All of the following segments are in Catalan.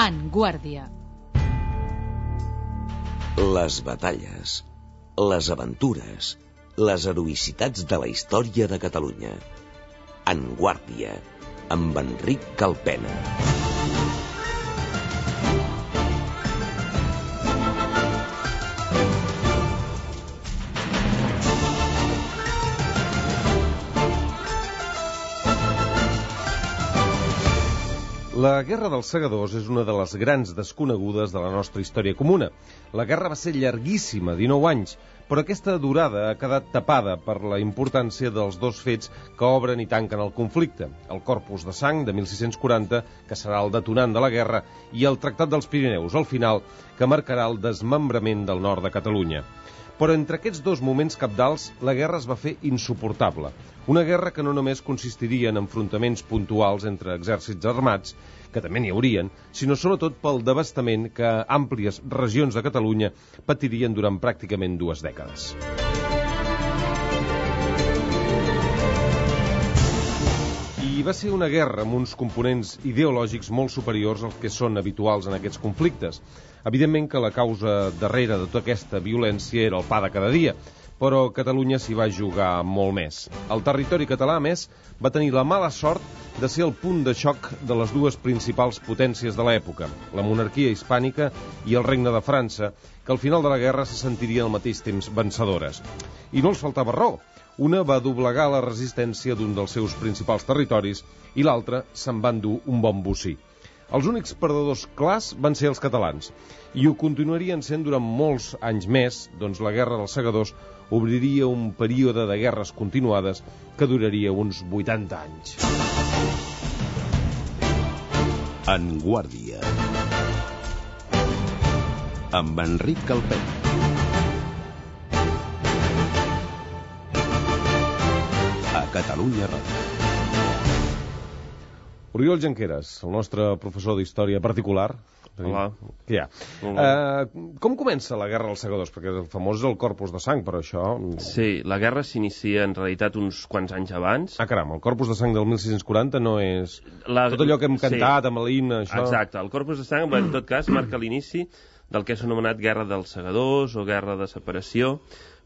En Guàrdia. Les batalles, les aventures, les heroïcitats de la història de Catalunya. En Guàrdia, amb Enric Calpena. La Guerra dels Segadors és una de les grans desconegudes de la nostra història comuna. La guerra va ser llarguíssima, 19 anys, però aquesta durada ha quedat tapada per la importància dels dos fets que obren i tanquen el conflicte. El Corpus de Sang, de 1640, que serà el detonant de la guerra, i el Tractat dels Pirineus, al final, que marcarà el desmembrament del nord de Catalunya. Però entre aquests dos moments cabdals, la guerra es va fer insuportable. Una guerra que no només consistiria en enfrontaments puntuals entre exèrcits armats, que també n'hi haurien, sinó sobretot pel devastament que àmplies regions de Catalunya patirien durant pràcticament 2 dècades. I va ser una guerra amb uns components ideològics molt superiors als que són habituals en aquests conflictes. Evidentment que la causa darrere de tota aquesta violència era el pa de cada dia, però Catalunya s'hi va jugar molt més. El territori català, a més, va tenir la mala sort de ser el punt de xoc de les dues principals potències de l'època, la monarquia hispànica i el regne de França, que al final de la guerra se sentirien al mateix temps vencedores. I no els faltava raó. Una va doblegar la resistència d'un dels seus principals territoris i l'altra se'n va endur un bon bocí. Els únics perdedors clars van ser els catalans, i ho continuarien sent durant molts anys més, doncs la Guerra dels Segadors obriria un període de guerres continuades que duraria uns 80 anys. En Guàrdia, amb Enric Calpena. A Catalunya Ràdio. Oriol Junqueras, el nostre professor d'història particular. Hola. Què hi ha? Com comença la Guerra dels Segadors? Perquè el famós és el Corpus de Sang, però això... Sí, la guerra s'inicia en realitat uns quants anys abans. Ah, caram, el Corpus de Sang del 1640 no és... Tot allò que hem cantat amb l'himne, això... Exacte, el Corpus de Sang, en tot cas, marca l'inici del que s'ha anomenat Guerra dels Segadors o Guerra de Separació,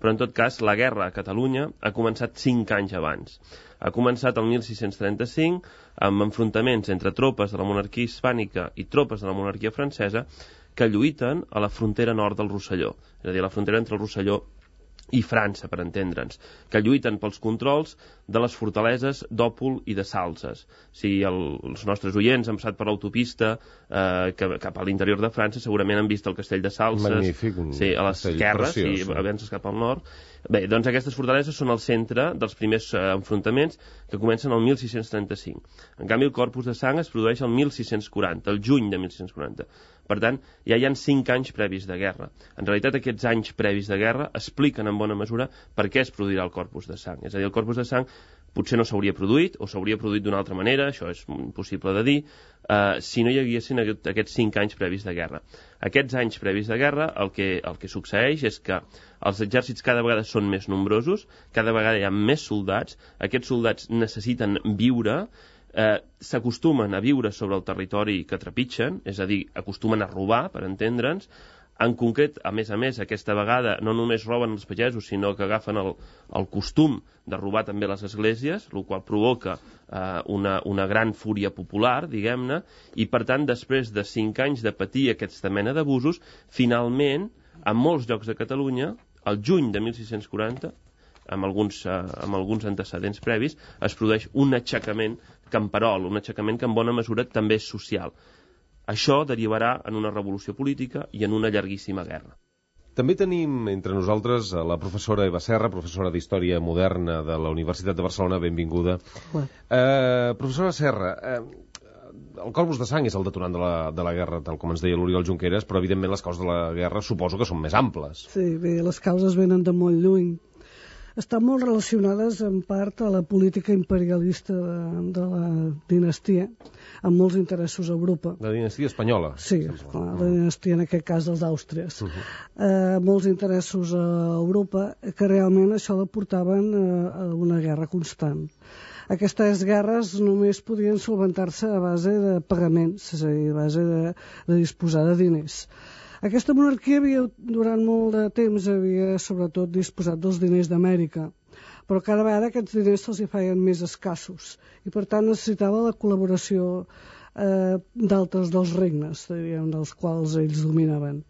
però en tot cas la guerra a Catalunya ha començat 5 anys abans. Ha començat el 1635 amb enfrontaments entre tropes de la monarquia hispànica i tropes de la monarquia francesa que lluiten a la frontera nord del Rosselló, és a dir, la frontera entre el Rosselló i França, per entendre'ns, que lluiten pels controls de les fortaleses d'Òpol i de Salses. Si els nostres oients han passat per l'autopista cap a l'interior de França, segurament han vist el castell de Salses. Magnífic, sí, a l'esquerra, si avances cap al nord. Bé, doncs aquestes fortaleses són el centre dels primers enfrontaments que comencen el 1635. En canvi, el Corpus de Sang es produeix el 1640, el juny de 1640. Per tant, ja hi ha 5 anys previs de guerra. En realitat, aquests anys previs de guerra expliquen en bona mesura per què es produirà el Corpus de Sang. És a dir, el Corpus de Sang potser no s'hauria produït, o s'hauria produït d'una altra manera, això és impossible de dir, si no hi haguessin aquests 5 anys previs de guerra. Aquests anys previs de guerra, el que succeeix és que els exèrcits cada vegada són més nombrosos, cada vegada hi ha més soldats, aquests soldats necessiten viure, s'acostumen a viure sobre el territori que trepitgen, és a dir, acostumen a robar, per entendre'ns. En concret, a més, aquesta vegada no només roben els pagesos, sinó que agafen el costum de robar també les esglésies, el qual provoca una gran fúria popular, diguem-ne, i per tant, després de 5 anys de patir aquesta mena d'abusos, finalment, en molts llocs de Catalunya, el juny de 1640, amb alguns antecedents previs, es produeix un aixecament camperol, un aixecament que en bona mesura també és social. Això derivarà en una revolució política i en una llarguíssima guerra. També tenim entre nosaltres la professora Eva Serra, professora d'Història Moderna de la Universitat de Barcelona. Benvinguda. Professora Serra, el Corpus de Sang és el detonant de la guerra, tal com ens deia l'Oriol Junqueras, però evidentment les causes de la guerra suposo que són més amples. Sí, bé, les causes venen de molt lluny. Estan molt relacionades en part a la política imperialista de la dinastia, amb molts interessos a Europa. La dinastia espanyola? Sí, la dinastia en aquest cas dels Àustries. Molts interessos a Europa que realment això la portaven a una guerra constant. Aquestes guerres només podien solventar-se a base de pagaments, és a dir, a base de disposar de diners. Aquesta monarquia durant molt de temps havia sobretot disposat dels diners d'Amèrica, però cada vegada aquests diners se'ls hi feien més escassos i per tant necessitava la col·laboració d'altres dels regnes, diríem, dels quals ells dominaven.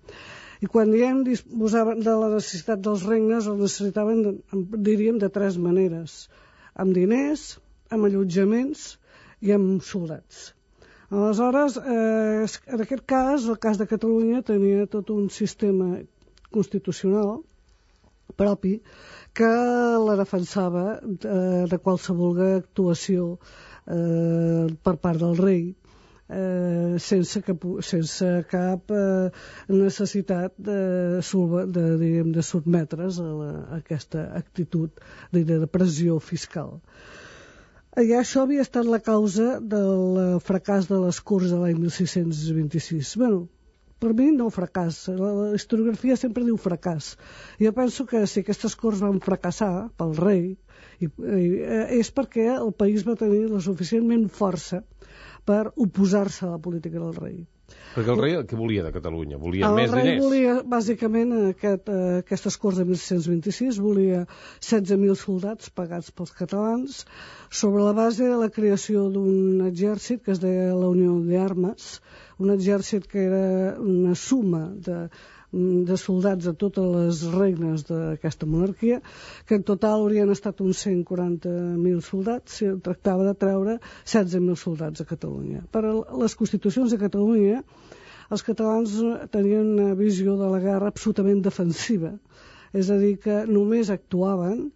I quan disposaven de la necessitat dels regnes, els necessitaven, diríem, de 3 maneres: amb diners, amb allotjaments i amb soldats. Aleshores, en aquest cas, el cas de Catalunya tenia tot un sistema constitucional propi que la defensava de qualsevol actuació per part del rei, sense cap necessitat de sotmetre's a aquesta actitud de pressió fiscal. I això havia estat la causa del fracàs de les Corts de l'any 1626. Bé, per mi no fracàs, la historiografia sempre diu fracàs. Jo penso que si aquestes Corts van fracassar pel rei és perquè el país va tenir la suficientment força per oposar-se a la política del rei. Perquè el rei què volia de Catalunya? Volia més diners? El rei volia, bàsicament, aquestes Corts de 1626, volia 16.000 soldats pagats pels catalans sobre la base de la creació d'un exèrcit que es deia la Unió d'Armes, un exèrcit que era una suma de soldats de totes les regnes d'aquesta monarquia, que en total haurien estat uns 140.000 soldats, si tractava de treure 16.000 soldats a Catalunya. Per a les constitucions de Catalunya, els catalans tenien una visió de la guerra absolutament defensiva, és a dir, que només actuaven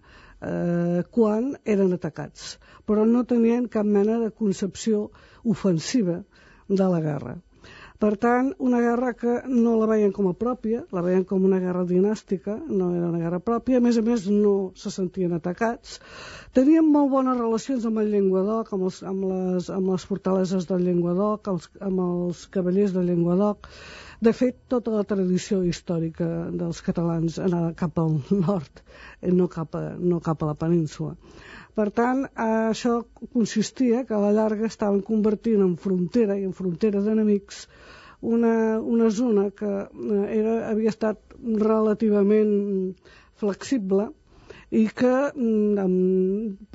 quan eren atacats, però no tenien cap mena de concepció ofensiva de la guerra. Per tant, una guerra que no la veien com a pròpia, la veien com una guerra dinàstica, no era una guerra pròpia, a més no se sentien atacats. Tenien molt bones relacions amb el Llenguadoc, amb les fortaleses del Llenguadoc, amb els cavallers del Llenguadoc. De fet, tota la tradició històrica dels catalans anava cap al nord, no cap a la península. Per tant, això consistia que a la llarga estaven convertint en frontera i en frontera d'enemics una zona que havia estat relativament flexible i que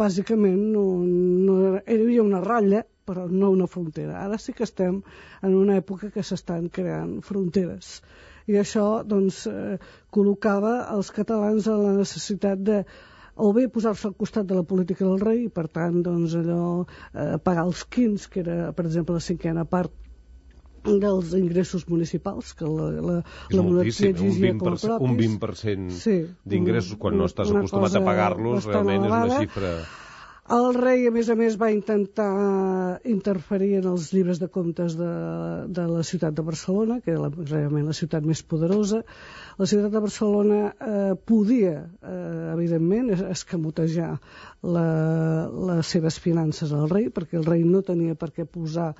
bàsicament hi havia una ratlla però no una frontera. Ara sí que estem en una època que s'estan creant fronteres i això doncs col·locava els catalans en la necessitat de o bé posar-se al costat de la política del rei i per tant doncs allò pagar els quins, que era per exemple la 5a part dels ingressos municipals que la monarquia exigia com a propis. Un 20% d'ingressos quan no estàs acostumat a pagar-los realment és una xifra. El rei, a més, va intentar interferir en els llibres de comptes de la ciutat de Barcelona, que era realment la ciutat més poderosa. La ciutat de Barcelona podia, evidentment, escamotejar les seves finances al rei, perquè el rei no tenia per què posar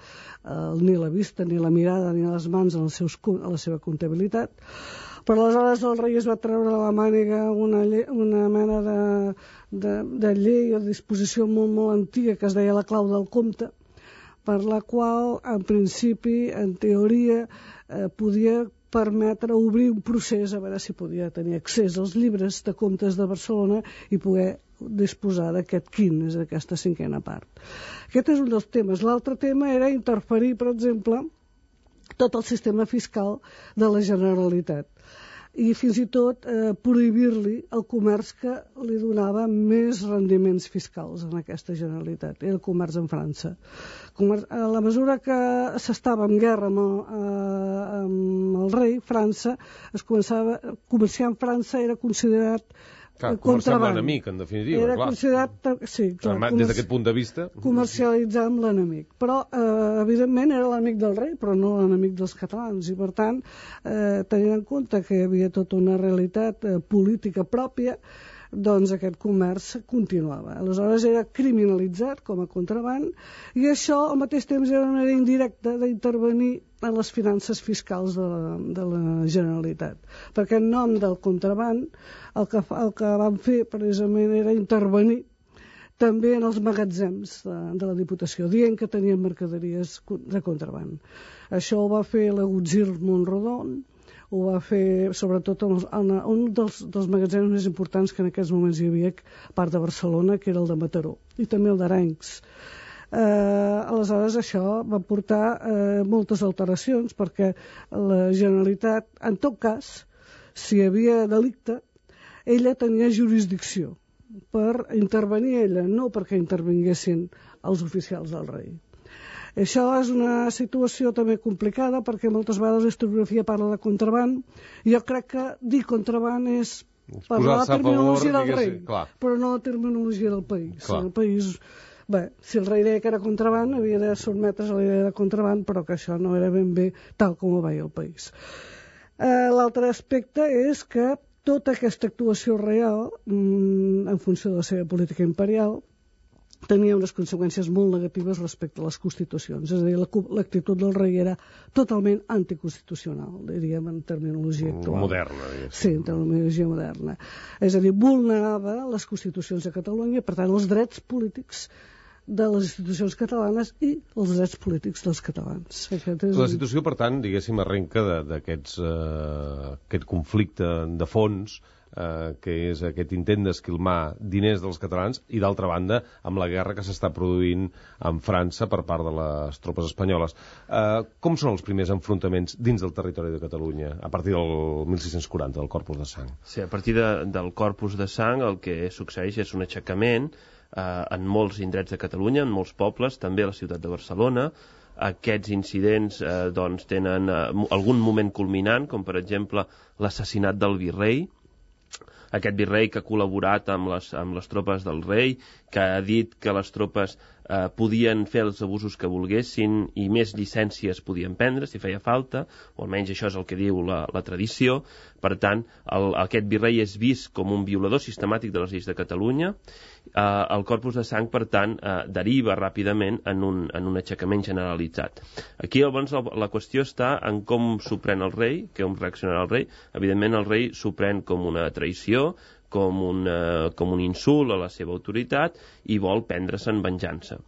ni la vista, ni la mirada, ni les mans a la seva comptabilitat. Però aleshores el rei es va treure a la màniga una mena de llei o disposició molt antiga que es deia la clau del compte, per la qual, en principi, en teoria, podia permetre obrir un procés a veure si podia tenir accés als llibres de comptes de Barcelona i poder disposar d'aquest quin, és aquesta 5a part. Aquest és un dels temes. L'altre tema era interferir, per exemple, tot el sistema fiscal de la Generalitat i fins i tot prohibir-li el comerç que li donava més rendiments fiscals en aquesta Generalitat, era el comerç amb França. A la mesura que s'estava en guerra amb el rei, França, comerciar amb França era considerat comerciar amb l'enemic, en definitiva. Era considerat, sí, clar, des d'aquest punt de vista, comercialitzar amb l'enemic. Però, evidentment, era l'enemic del rei, però no l'enemic dels catalans. I, per tant, tenint en compte que hi havia tota una realitat política pròpia, doncs aquest comerç continuava. Aleshores era criminalitzat com a contraban i això al mateix temps era una manera indirecta d'intervenir en les finances fiscals de la Generalitat. Perquè en nom del contraban el que van fer precisament era intervenir també en els magatzems de la Diputació, dient que tenien mercaderies de contraban. Això ho va fer l'Agutzil Montrodon, ho va fer sobretot en un dels magatzems més importants que en aquests moments hi havia a part de Barcelona, que era el de Mataró, i també el d'Arenys. Aleshores això va portar moltes alteracions, perquè la Generalitat, en tot cas, si hi havia delicte, ella tenia jurisdicció per intervenir ella, no perquè intervinguessin els oficials del rei. Això és una situació també complicada, perquè moltes vegades la historiografia parla de contraban. Jo crec que dir contraban és parlar la terminologia del rei, però no la terminologia del país. El país, bé, si el rei deia que era contraban, havia de sotmetre's a la idea de contraban, però que això no era ben bé tal com ho veia el país. L'altre aspecte és que tota aquesta actuació real, en funció de la seva política imperial, tenia unes conseqüències molt negatives respecte a les constitucions. És a dir, l'actitud del rei era totalment anticonstitucional, diríem en terminologia actual. Moderna, diguéssim. Sí, en terminologia moderna. És a dir, vulnerava les constitucions de Catalunya, per tant, els drets polítics de les institucions catalanes i els drets polítics dels catalans. La situació, per tant, diguéssim, arrenca d'aquest conflicte de fons, que és aquest intent d'esquilmar diners dels catalans, i d'altra banda amb la guerra que s'està produint en França per part de les tropes espanyoles. Com són els primers enfrontaments dins del territori de Catalunya a partir del 1640, del Corpus de Sang? Sí, a partir del Corpus de Sang el que succeeix és un aixecament en molts indrets de Catalunya, en molts pobles, també a la ciutat de Barcelona. Aquests incidents doncs, tenen algun moment culminant, com per exemple l'assassinat del virrei, aquest virrei que ha col·laborat amb les tropes del rei, que ha dit que les tropes podien fer els abusos que volguessin i més llicències podien prendre si feia falta, o almenys això és el que diu la tradició. Per tant, aquest virrei és vist com un violador sistemàtic de les lleis de Catalunya. El Corpus de Sang, per tant, deriva ràpidament en un aixecament generalitzat. Aquí, llavors, la qüestió està en com s'ho pren el rei, com reaccionarà el rei. Evidentment, el rei s'ho pren com una traïció, com un insult a la seva autoritat, i vol prendre-se'n venjança.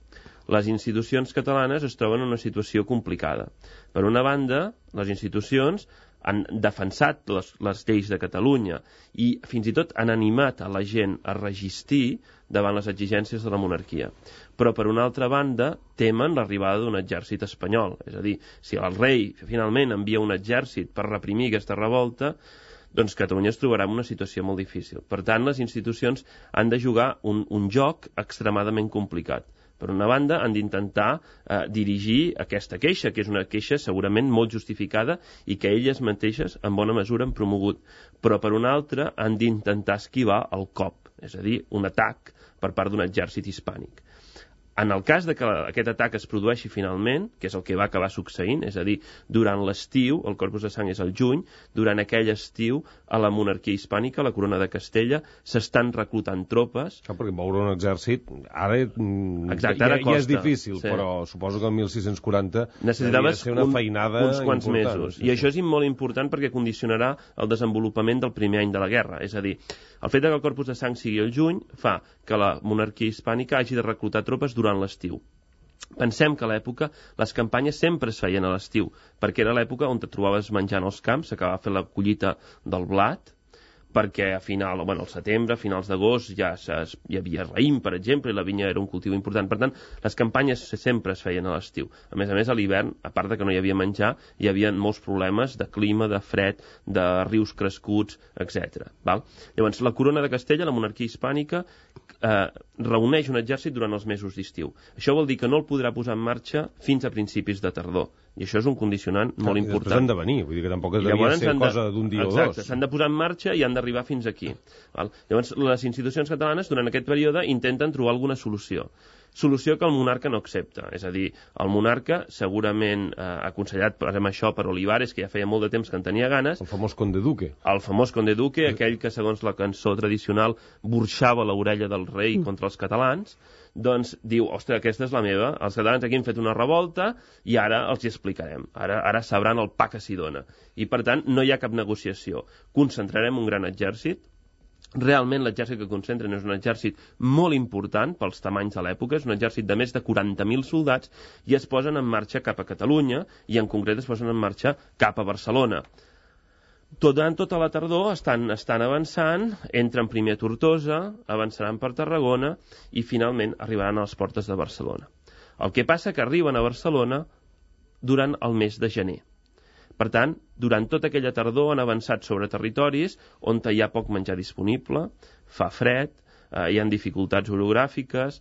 Les institucions catalanes es troben en una situació complicada. Per una banda, les institucions han defensat les lleis de Catalunya i fins i tot han animat a la gent a resistir davant les exigències de la monarquia. Però, per una altra banda, temen l'arribada d'un exèrcit espanyol. És a dir, si el rei finalment envia un exèrcit per reprimir aquesta revolta, doncs Catalunya es trobarà en una situació molt difícil. Per tant, les institucions han de jugar un joc extremadament complicat. Per una banda, han d'intentar dirigir aquesta queixa, que és una queixa segurament molt justificada i que elles mateixes, en bona mesura, han promogut. Però, per una altra, han d'intentar esquivar el cop, és a dir, un atac per part d'un exèrcit hispànic. En el cas de que aquest atac es produeixi finalment, que és el que va acabar succeint, és a dir, durant l'estiu, el Corpus de Sang és al juny, durant aquell estiu, a la monarquia hispànica, a la corona de Castella, s'estan reclutant tropes. Perquè moure un exèrcit ara, ara ja és difícil, sí. Però suposo que el 1640 necessitaves ser una feinada uns quants important, mesos. I això és molt important perquè condicionarà el desenvolupament del primer any de la guerra. És a dir, el fet que el Corpus de Sang sigui al juny fa que la monarquia hispànica hagi de reclutar tropes durant l'estiu. Pensem que a l'època les campanyes sempre es feien a l'estiu, perquè era l'època on te trobaves menjant als camps, s'acabava fent la collita del blat, perquè al setembre, a finals d'agost, ja hi havia raïm, per exemple, i la vinya era un cultiu important. Per tant, les campanyes sempre es feien a l'estiu. A més, a l'hivern, a part de que no hi havia menjar, hi havia molts problemes de clima, de fred, de rius crescuts, etc. Llavors, la corona de Castella, la monarquia hispànica, reuneix un exèrcit durant els mesos d'estiu. Això vol dir que no el podrà posar en marxa fins a principis de tardor. I això és un condicionant molt important. I després han de venir, vull dir que tampoc devia ser cosa d'un dia o dos. Exacte, s'han de posar en marxa i han d'arribar fins aquí. Llavors, les institucions catalanes, durant aquest període, intenten trobar alguna solució. Solució que el monarca no accepta. És a dir, el monarca, segurament aconsellat per això per Olivares, que ja feia molt de temps que en tenia ganes. El famós conde duque. El famós conde duque, aquell que, segons la cançó tradicional, burxava l'orella del rei contra els catalans, doncs diu, ostres, aquesta és la meva, els catalans aquí han fet una revolta i ara els hi explicarem, ara sabran el pa que s'hi dona. I per tant no hi ha cap negociació. Concentrarem un gran exèrcit, Realment l'exèrcit que concentren és un exèrcit molt important pels tamanys de l'època, és un exèrcit de més de 40.000 soldats i es posen en marxa cap a Catalunya i en concret es posen en marxa cap a Barcelona. Durant tota la tardor estan avançant, entren primer a Tortosa, avançaran per Tarragona i finalment arribaran a les portes de Barcelona. El que passa que arriben a Barcelona durant el mes de gener. Per tant, durant tota aquella tardor han avançat sobre territoris on hi ha poc menjar disponible, fa fred, hi ha dificultats orogràfiques.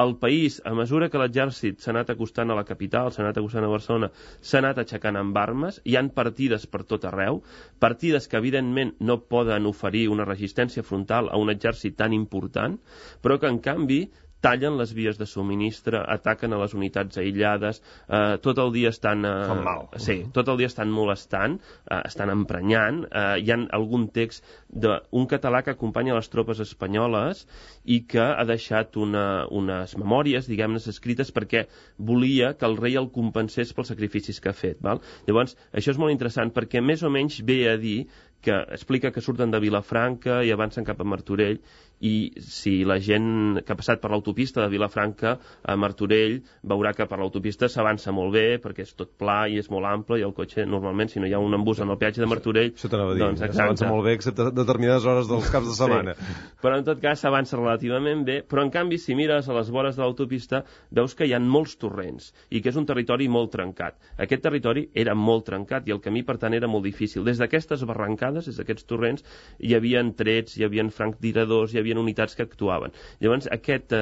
El país, a mesura que l'exèrcit s'ha anat acostant a la capital, s'ha anat acostant a Barcelona, s'ha anat aixecant amb armes, hi han partides per tot arreu, partides que evidentment no poden oferir una resistència frontal a un exèrcit tan important, però que en canvi tallen les vies de subministre, ataquen a les unitats aïllades, tot el dia estan... Fan mal. Sí, tot el dia estan molestant, estan emprenyant. Hi ha algun text d'un català que acompanya les tropes espanyoles i que ha deixat unes memòries, diguem-ne, escrites perquè volia que el rei el compensés pels sacrificis que ha fet. Val? Llavors, això és molt interessant perquè més o menys ve a dir que explica que surten de Vilafranca i avancen cap a Martorell i si la gent que ha passat per l'autopista de Vilafranca a Martorell veurà que per l'autopista s'avança molt bé perquè és tot pla i és molt ample i el cotxe normalment si no hi ha un embús en el peatge de Martorell això t'anava a dir, s'avança molt bé excepte determinades hores dels caps de setmana. Sí. Però en tot cas s'avança relativament bé, però en canvi si mires a les vores de l'autopista veus que hi ha molts torrents i que és un territori molt trencat. Aquest territori era molt trencat i el camí per tant era molt difícil. Des d'aquestes barrancades, des d'aquests torrents hi havia trets, hi havia franctiradors, hi havia unitats que actuaven. Llavors, aquest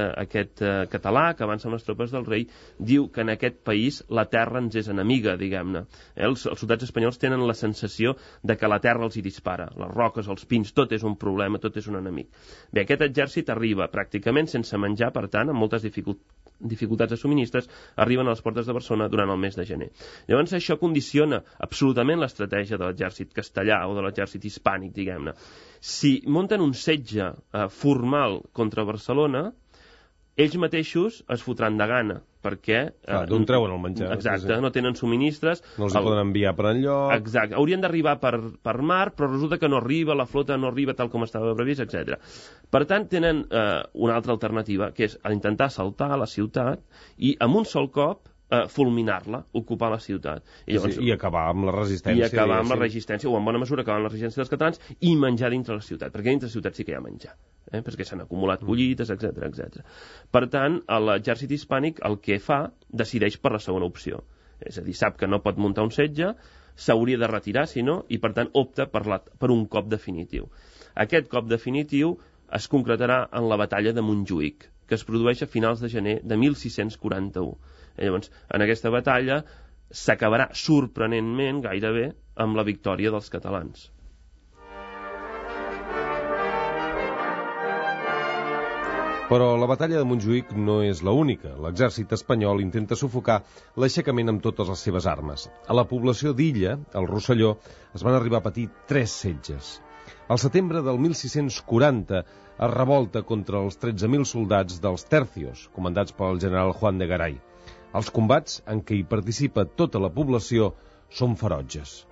català que avança amb les tropes del rei diu que en aquest país la terra ens és enemiga, diguem-ne. Els soldats espanyols tenen la sensació de que la terra els hi dispara. Les roques, els pins, tot és un problema, tot és un enemic. Bé, aquest exèrcit arriba pràcticament sense menjar, per tant, amb moltes dificultats de subministres, arriben a les portes de Barcelona durant el mes de gener. Llavors, això condiciona absolutament l'estratègia de l'exèrcit castellà o de l'exèrcit hispànic, diguem-ne. Si munten un setge formal contra Barcelona, ells mateixos es fotran de gana, perquè... D'on treuen el menjar. Exacte, no tenen subministres. No els poden enviar per enlloc. Exacte, haurien d'arribar per mar, però resulta que no arriba, la flota no arriba tal com estava previst, etc. Per tant, tenen una altra alternativa, que és intentar assaltar la ciutat i amb un sol cop fulminar-la, ocupar la ciutat. I acabar amb la resistència. I acabar amb la resistència, o en bona mesura acabar amb la resistència dels catalans i menjar dintre la ciutat, perquè dintre la ciutat sí que hi ha menjar, perquè s'han acumulat collites, etc. Per tant, l'exèrcit hispànic el que fa, decideix per la segona opció. És a dir, sap que no pot muntar un setge, s'hauria de retirar, si no, i per tant opta per un cop definitiu. Aquest cop definitiu es concretarà en la batalla de Montjuïc, que es produeix a finals de gener de 1641. Llavors, en aquesta batalla s'acabarà sorprenentment, gairebé, amb la victòria dels catalans. Però la batalla de Montjuïc no és l'única. L'exèrcit espanyol intenta sufocar l'aixecament amb totes les seves armes. A la població d'Illa, al Rosselló, es van arribar a patir 3 setges. Al setembre del 1640 es revolta contra els 13.000 soldats dels Tercios, comandats pel general Juan de Garay. Els combats en què hi participa tota la població són ferotges.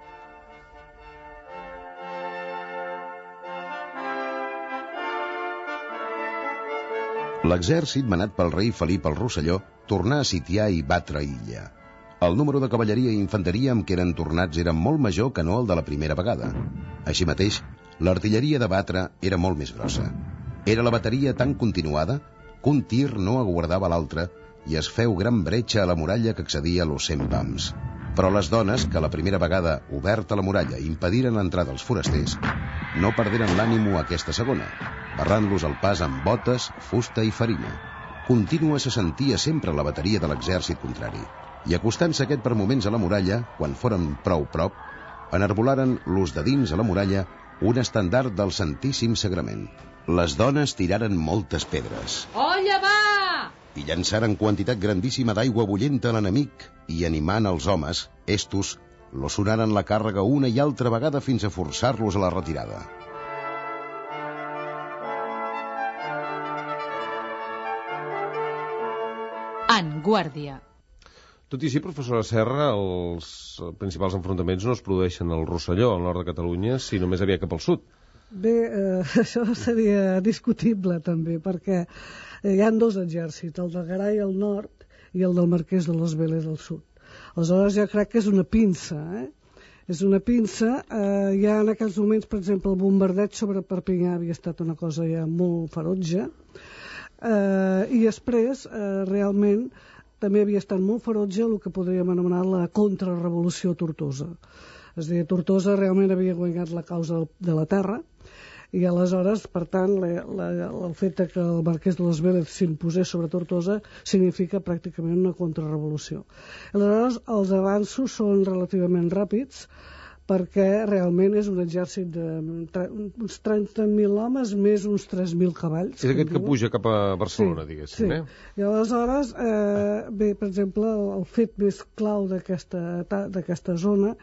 L'exèrcit manat pel rei Felip el Rosselló tornà a sitiar i batre Illa. El número de cavalleria i infanteria amb què eren tornats era molt major que no el de la primera vegada. Així mateix, l'artilleria de batre era molt més grossa. Era la bateria tan continuada que un tir no aguardava l'altre i es feu gran bretxa a la muralla que accedia a los 100 pams. Però les dones, que la primera vegada oberta la muralla impediren l'entrada dels forasters, no perderen l'ànimo aquesta segona, barrant-los el pas amb botes, fusta i farina. Contínua se sentia sempre la bateria de l'exèrcit contrari, i acostant-se aquest per moments a la muralla, quan foren prou prop, enarbolaren l'ús de dins a la muralla un estendard del Santíssim Sagrament. Les dones tiraren moltes pedres. Olla va! I llançaren quantitat grandíssima d'aigua bullenta a l'enemic i, animant els homes, estos lo sonaren la càrrega una i altra vegada fins a forçar-los a la retirada. En guàrdia. Tot i així, professora Serra, els principals enfrontaments no es produeixen al Rosselló, al nord de Catalunya, sinó més aviat cap al sud. Bé, això seria discutible també, perquè hi ha dos exèrcits, el del Garay al nord i el del Marquès de les Vélez al sud. Aleshores jo crec que és una pinça, És una pinça. Ja en aquells moments, per exemple, el bombardeig sobre Perpinyà havia estat una cosa ja molt ferotge, i després, realment, també havia estat molt ferotge el que podríem anomenar la contrarrevolució a Tortosa. És a dir, Tortosa realment havia guanyat la causa de la terra, i aleshores, per tant, el fet que el Marquès de les Vélez s'imposés sobre Tortosa significa pràcticament una contrarrevolució. Aleshores, els avanços són relativament ràpids, perquè realment és un exèrcit d'uns 30.000 homes més uns 3.000 cavalls. És aquest que puja cap a Barcelona, diguéssim. I aleshores, bé, per exemple, el fet més clau d'aquesta zona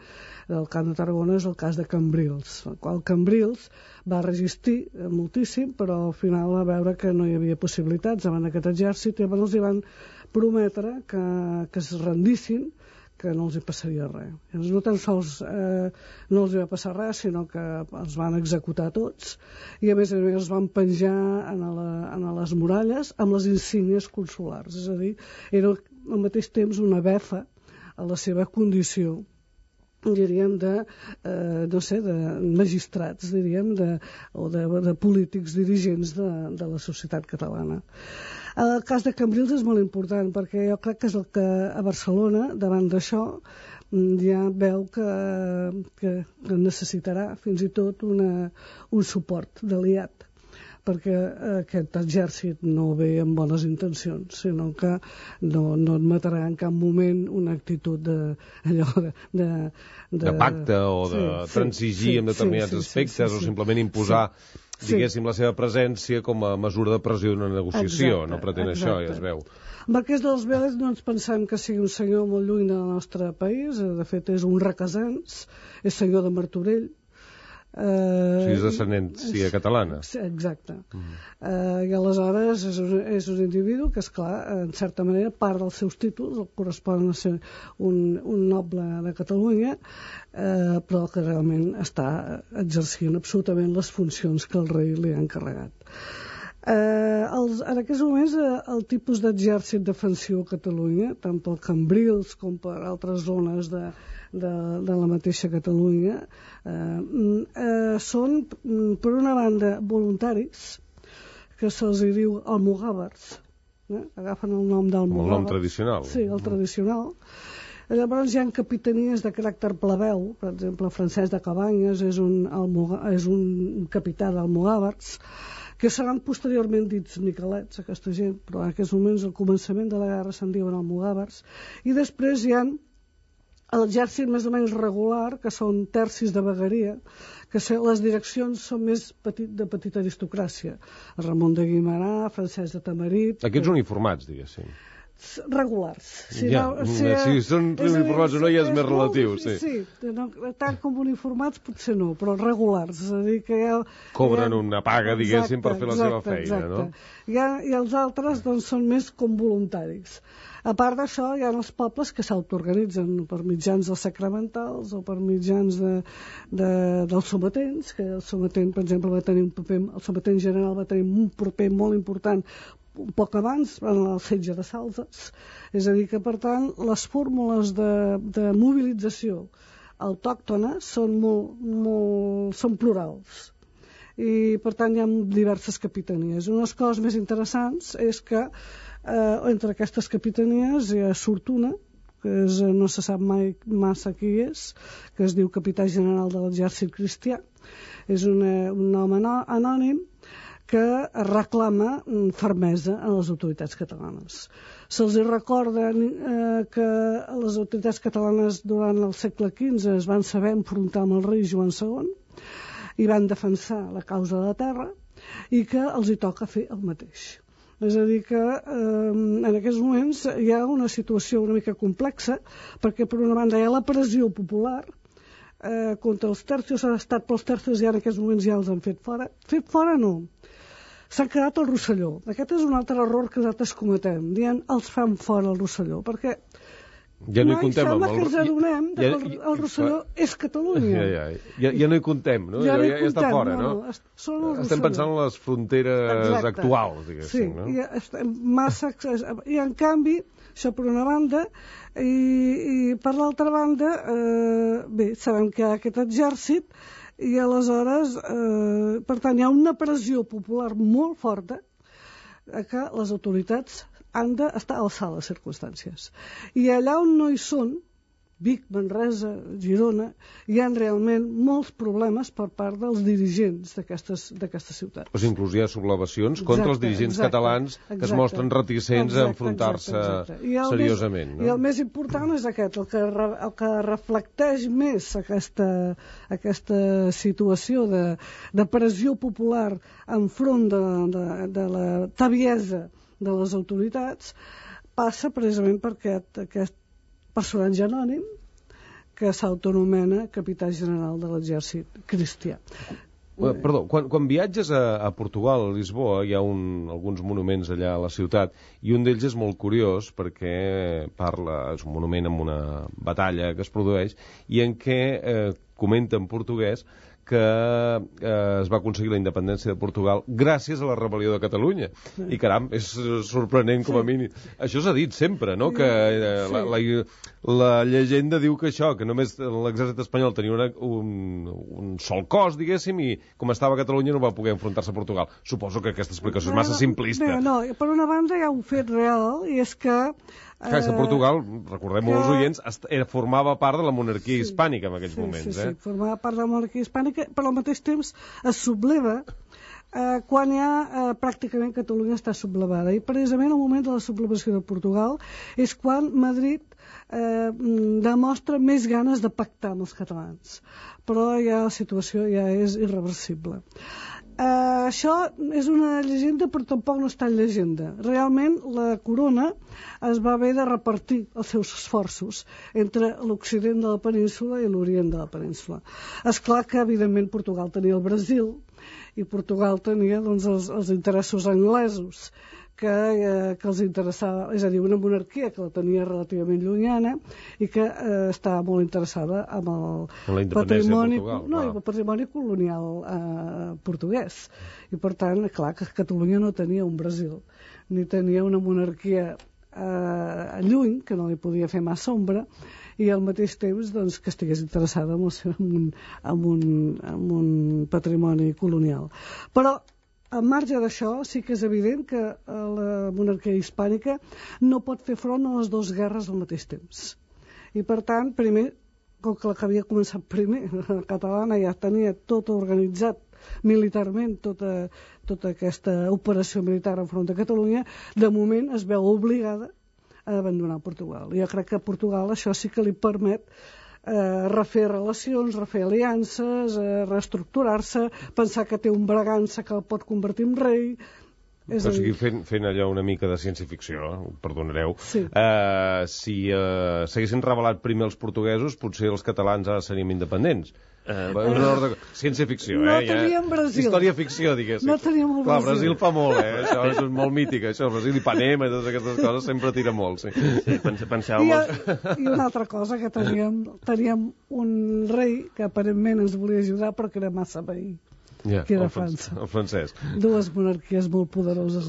del Camp de Tarragona és el cas de Cambrils, el qual Cambrils va resistir moltíssim, però al final va veure que no hi havia possibilitats davant d'aquest exèrcit, i llavors els hi van prometre que es rendissin, que no els hi passaria res. Llavors, no tan sols no els hi va passar res, sinó que els van executar tots, i a més els van penjar en les muralles amb les insígnies consulars. És a dir, era al mateix temps una befa a la seva condició, diríem, de magistrats, diríem, o de polítics dirigents de la societat catalana. El cas de Cambrils és molt important, perquè jo crec que és el que a Barcelona, davant d'això, ja veu que necessitarà fins i tot un suport d'aliat, perquè aquest exèrcit no ve amb bones intencions, sinó que no admetrà en cap moment una actitud de pacte o de transigir en determinats aspectes, o simplement imposar, diguéssim, la seva presència com a mesura de pressió d'una negociació. No pretén això, ja es veu. Marquès de les Vélez no ens pensem que sigui un senyor molt lluny del nostre país, de fet és un requesens, és senyor de Martorell, és d'ascendència catalana. Exacte. I aleshores és un individu que, esclar, en certa manera, part dels seus títols el correspon a ser un noble de Catalunya, però que realment està exercint absolutament les funcions que el rei li ha encarregat. En aquests moments el tipus d'exèrcit defensiu a Catalunya, tant pel Cambrils com per altres zones de la mateixa Catalunya, són, per una banda, voluntaris, que se'ls diu almogàvers, agafen el nom d'almogàvers. El nom tradicional. Sí, el tradicional. Llavors hi ha capitanies de caràcter plebeu, per exemple, Francesc de Cabanyes és un capità d'almogàvers, que seran posteriorment dits miquelets, aquesta gent, però en aquests moments, al començament de la guerra, se'n diuen almogàvers, i després hi ha l'exèrcit més o menys regular, que són tercis de vegueria, que les direccions són més de petita aristocràcia. Ramon de Guimerà, Francesc de Tamarit... Aquests uniformats, diguéssim. Regulars. Si són uniformats o no, ja és més relatiu. Sí, tant com uniformats potser no, però regulars. És a dir, que cobren una paga, diguéssim, per fer la seva feina, no? I els altres són més com voluntaris. A part d'això, hi ha els pobles que s'autoorganitzen per mitjans dels sacramentals o per mitjans dels sometents, que el sometent, per exemple, va tenir un paper, el sometent general va tenir un paper molt important un poc abans, en el setge de Salses. És a dir, que, per tant, les fórmules de mobilització autòctones són plurals. I, per tant, hi ha diverses capitanies. Una de les coses més interessants és que entre aquestes capitanies surt una, que no se sap mai massa qui és, que es diu capità general de l'exèrcit cristià. És un home anònim que reclama fermesa a les autoritats catalanes. Se'ls recorda que les autoritats catalanes durant el segle XV es van saber enfrontar amb el rei Joan II i van defensar la causa de la terra i que els hi toca fer el mateix. És a dir, que en aquests moments hi ha una situació una mica complexa, perquè per una banda hi ha la pressió popular contra els tercios, ha estat pels tercios i en aquests moments ja els han fet fora. Fet fora no. S'han quedat al Rosselló. Aquest és un altre error que nosaltres cometem, dient els fan fora al Rosselló, perquè Ja no hi contem. Sembla que ens adonem que el Rosselló és Catalunya. Ja no hi contem, no? Ja està fora, no? Estem pensant en les fronteres actuals, diguéssim, no? Sí, i en canvi, això per una banda, i per l'altra banda, bé, sabem que hi ha aquest exèrcit, i aleshores, per tant, hi ha una pressió popular molt forta que les autoritats han d'estar a l'alçada de les circumstàncies. I allà on no hi són, Vic, Manresa, Girona, hi ha realment molts problemes per part dels dirigents d'aquestes ciutats. Doncs inclús hi ha sublevacions contra els dirigents catalans que es mostren reticents a enfrontar-se seriosament. I el més important és aquest, el que reflecteix més aquesta situació de pressió popular enfront de la tabiesa de les autoritats, passa precisament per aquest personatge anònim que s'autonomena capità general de l'exèrcit cristià. Perdó, quan viatges a Portugal, a Lisboa, hi ha alguns monuments allà a la ciutat, i un d'ells és molt curiós perquè és un monument amb una batalla que es produeix i en què comenta en portuguès que es va aconseguir la independència de Portugal gràcies a la rebel·lió de Catalunya. I caram, és sorprenent com a mínim. Això s'ha dit sempre, no? Que la llegenda diu que això, que només l'exèrcit espanyol tenia un sol cos, diguéssim, i com estava a Catalunya no va poder enfrontar-se a Portugal. Suposo que aquesta explicació és massa simplista. No, per una banda hi ha un fet real, i és que clar, que Portugal, recordem als oients, formava part de la monarquia hispànica en aquells moments. Sí, formava part de la monarquia hispànica, però al mateix temps es subleva quan pràcticament Catalunya està sublevada. I precisament el moment de la sublevació de Portugal és quan Madrid demostra més ganes de pactar amb els catalans. Però ja la situació ja és irreversible. Això és una llegenda, però tampoc no és tan llegenda. Realment la corona es va haver de repartir els seus esforços entre l'occident de la península i l'orient de la península. És clar que evidentment Portugal tenia el Brasil i Portugal tenia els interessos anglesos que els interessava, és a dir, una monarquia que la tenia relativament llunyana i que estava molt interessada amb el patrimoni, el patrimoni colonial portuguès. I per tant, clar, que Catalunya no tenia un Brasil, ni tenia una monarquia lluny, que no li podia fer massa ombra, i al mateix temps doncs, que estigués interessada en un patrimoni colonial. Però al marge d'això, sí que és evident que la monarquia hispànica no pot fer front a les dues guerres al mateix temps. I per tant, primer, com que la que havia començat primer, la catalana ja tenia tot organitzat militarment, tota aquesta operació militar enfront de Catalunya, de moment es veu obligada a abandonar Portugal. Jo crec que a Portugal això sí que li permet refer relacions, refer aliances, reestructurar-se, pensar que té un Bragança que el pot convertir en rei. O sigui, fent allò una mica de ciència-ficció, perdonareu, si s'haguessin rebel·lat primer els portuguesos, potser els catalans ara seríem independents. Ciència-ficció, no teníem Brasil. Història-ficció, diguéssim. No teníem el Brasil. Clar, Brasil fa molt, això és molt mític, això, el Brasil, Ipanema i totes aquestes coses sempre tira molt, sí. I una altra cosa, que teníem un rei que aparentment ens volia ajudar, però que era massa veí. que era França. El francès. Dues monarquies molt poderoses.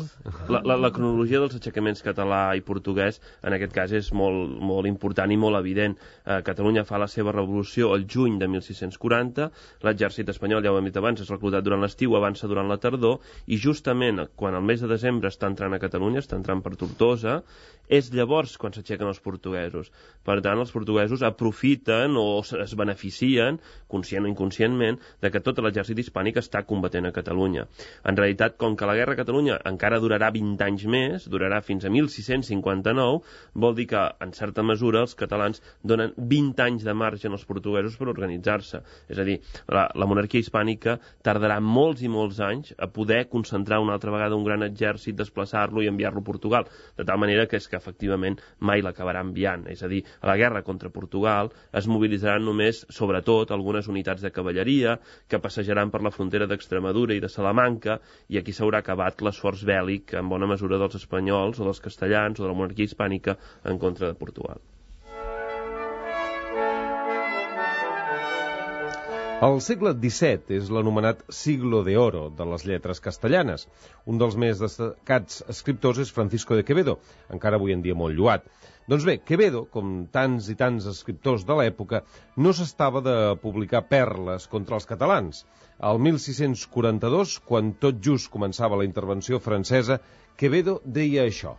La cronologia dels aixecaments català i portuguès, en aquest cas, és molt important i molt evident. Catalunya fa la seva revolució el juny de 1640, l'exèrcit espanyol, ja ho hem dit abans, és reclutat durant l'estiu, avança durant la tardor, i justament quan el mes de desembre està entrant a Catalunya, està entrant per Tortosa, és llavors quan s'aixequen els portuguesos. Per tant, els portuguesos aprofiten o es beneficien, conscient o inconscientment, de que tot l'exèrcit hispànic està combatent a Catalunya. En realitat, com que la guerra a Catalunya encara durarà 20 anys més, durarà fins a 1659, vol dir que, en certa mesura, els catalans donen 20 anys de marge als portuguesos per organitzar-se. És a dir, la monarquia hispànica tardarà molts i molts anys a poder concentrar una altra vegada un gran exèrcit, desplaçar-lo i enviar-lo a Portugal, de tal manera que és que efectivament mai l'acabarà enviant. És a dir, a la guerra contra Portugal es mobilitzaran només, sobretot, algunes unitats de cavalleria que passejaran per la frontera d'Extremadura i de Salamanca, i aquí s'haurà acabat l'esforç bèl·lic en bona mesura dels espanyols o dels castellans o de la monarquia hispànica en contra de Portugal. El segle XVII és l'anomenat Siglo de Oro de les lletres castellanes. Un dels més destacats escriptors és Francisco de Quevedo, encara avui en dia molt lloat. Doncs bé, Quevedo, com tants i tants escriptors de l'època, no s'estava de publicar perles contra els catalans. Al 1642, quan tot just començava la intervenció francesa, Quevedo deia això.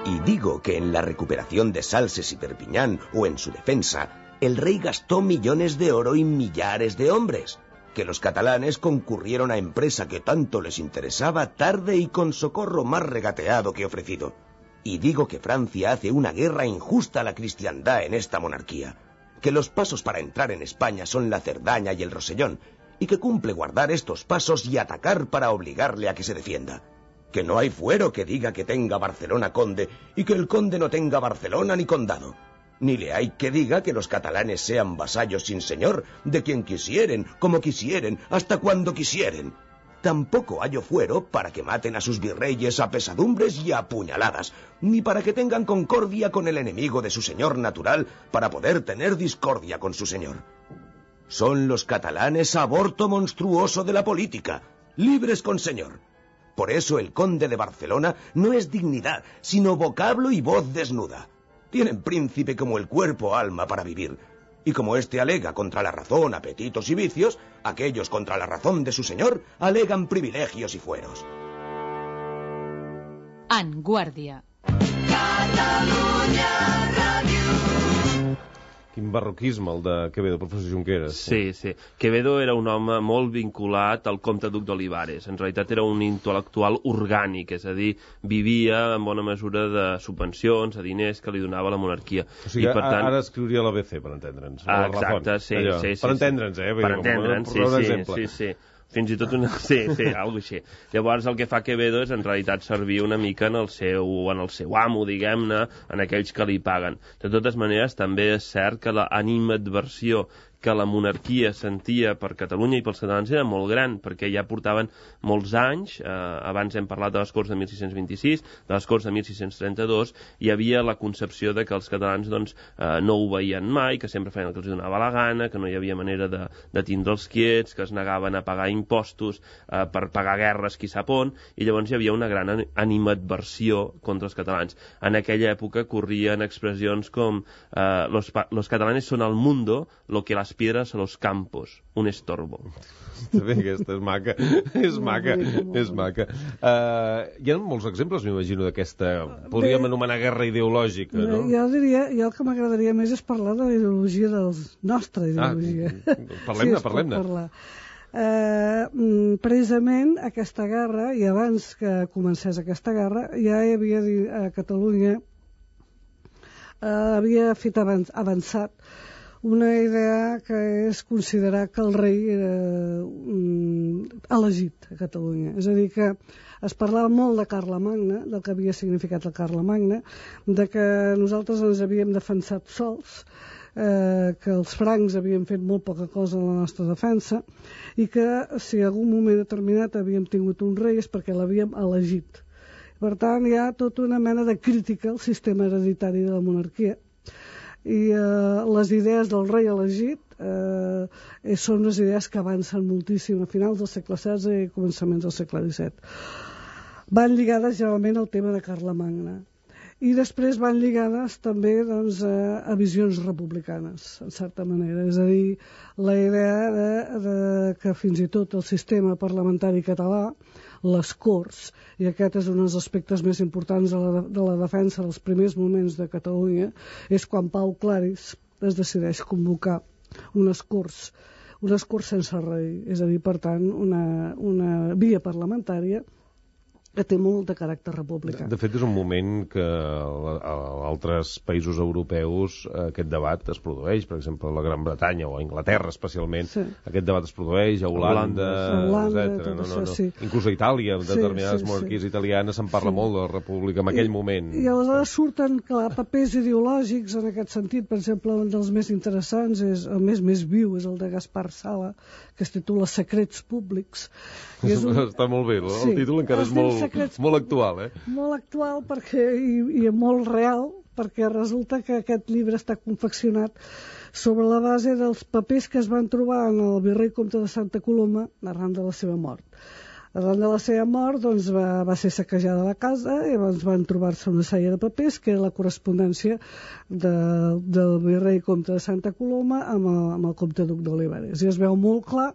Y digo que en la recuperación de Salses y Perpiñán, o en su defensa, el rey gastó millones de oro y millares de hombres, que los catalanes concurrieron a empresa que tanto les interesaba tarde y con socorro más regateado que ofrecido. Y digo que Francia hace una guerra injusta a la cristiandad en esta monarquía, que los pasos para entrar en España son la Cerdaña y el Rosellón, y que cumple guardar estos pasos y atacar para obligarle a que se defienda. Que no hay fuero que diga que tenga Barcelona conde y que el conde no tenga Barcelona ni condado. Ni le hay que diga que los catalanes sean vasallos sin señor, de quien quisieren, como quisieren, hasta cuando quisieren. Tampoco hallo fuero para que maten a sus virreyes a pesadumbres y a puñaladas, ni para que tengan concordia con el enemigo de su señor natural, para poder tener discordia con su señor. Son los catalanes aborto monstruoso de la política, libres con señor. Por eso el conde de Barcelona no es dignidad, sino vocablo y voz desnuda. Tienen príncipe como el cuerpo alma para vivir. Y como éste alega contra la razón apetitos y vicios, aquellos contra la razón de su señor alegan privilegios y fueros. En Guàrdia. Quin barroquisme, el de Quevedo, professor Junqueras. Sí, sí. Quevedo era un home molt vinculat al comte duc d'Olivares. En realitat era un intel·lectual orgànic, és a dir, vivia en bona mesura de subvencions, de diners que li donava la monarquia. O sigui, per tant... ara escriuria l'ABC, per entendre'ns. Exacte, sí, allò, sí. Per entendre'ns, Per entendre'ns, sí. Fins i tot una... Sí, alguna així. Llavors el que fa Quevedo és en realitat servir una mica en el seu amo, diguem-ne, en aquells que li paguen. De totes maneres, també és cert que l'animadversió que la monarquia sentia per Catalunya i pels catalans era molt gran, perquè ja portaven molts anys, abans hem parlat de les Corts de 1626, de les Corts de 1632, hi havia la concepció de que els catalans no ho veien mai, que sempre feien el que els donava la gana, que no hi havia manera de tindre'ls quiets, que es negaven a pagar impostos per pagar guerres qui sap on, i llavors hi havia una gran animadversió contra els catalans. En aquella època corrien expressions com los catalanes son al mundo lo que las piedras a los campos, un estorbo. Aquesta és maca, és maca. Hi ha molts exemples, m'imagino, d'aquesta, podríem anomenar guerra ideològica, no? Jo diria, el que m'agradaria més és parlar de la ideologia nostra ideologia. Parlem-ne. Precisament aquesta guerra, i abans que comencés aquesta guerra, ja hi havia a Catalunya havia fet avançat una idea que és considerar que el rei era elegit a Catalunya. És a dir, que es parlava molt de Carlemagna, del que havia significat el Carlemagna, de que nosaltres ens havíem defensat sols, que els francs havien fet molt poca cosa en la nostra defensa i que si en algun moment determinat havíem tingut un rei és perquè l'havíem elegit. Per tant, hi ha tota una mena de crítica al sistema hereditari de la monarquia i les idees del rei elegit són unes idees que avancen moltíssim a finals del segle XVI i començaments del segle XVII. Van lligades generalment al tema de Carlemagna i després van lligades també a visions republicanes, en certa manera. És a dir, la idea que fins i tot el sistema parlamentari català, les Corts, i aquest és un dels aspectes més importants de la defensa dels primers moments de Catalunya, és quan Pau Claris es decideix convocar unes Corts sense rei, és a dir, per tant, una via parlamentària que té molt de caràcter republicà. De fet, és un moment que a altres països europeus aquest debat es produeix, per exemple, a la Gran Bretanya o a Anglaterra especialment, aquest debat es produeix, a Holanda, etc. Sí. Inclús a Itàlia, determinades monarquies italianes se'n parla molt de la república en aquell moment. I aleshores surten, clar, papers ideològics en aquest sentit. Per exemple, un dels més interessants, el més viu, és el de Gaspar Sala, que es titula Secrets públics. Està molt bé, el títol encara és molt actual, Molt actual perquè, i molt real, perquè resulta que aquest llibre està confeccionat sobre la base dels papers que es van trobar en el virrei comte de Santa Coloma arran de la seva mort. Arran de la seva mort doncs, va ser saquejada la casa i van trobar-se una sèrie de papers que era la correspondència del virrei comte de Santa Coloma amb el comte duc d'Olivares. I es veu molt clar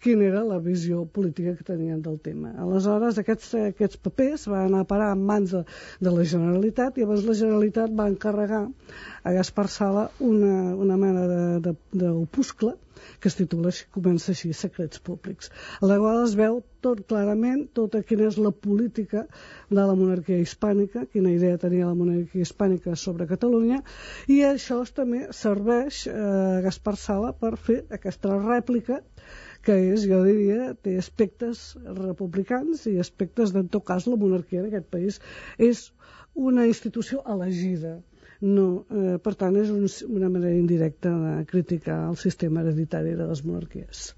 quina era la visió política que tenien del tema. Aleshores, aquests papers van anar a parar en mans de la Generalitat i llavors la Generalitat va encarregar a Gaspar Sala una mena d'opuscle que es titula, comença així, Secrets Públics. A la qual es veu tot clarament tota quina és la política de la monarquia hispànica, quina idea tenia la monarquia hispànica sobre Catalunya, i això també serveix a Gaspar Sala per fer aquesta rèplica que és, jo diria, té aspectes republicans i aspectes en tot cas la monarquia d'aquest país és una institució elegida. No, per tant, és una manera indirecta de criticar el sistema hereditari de les monarquies.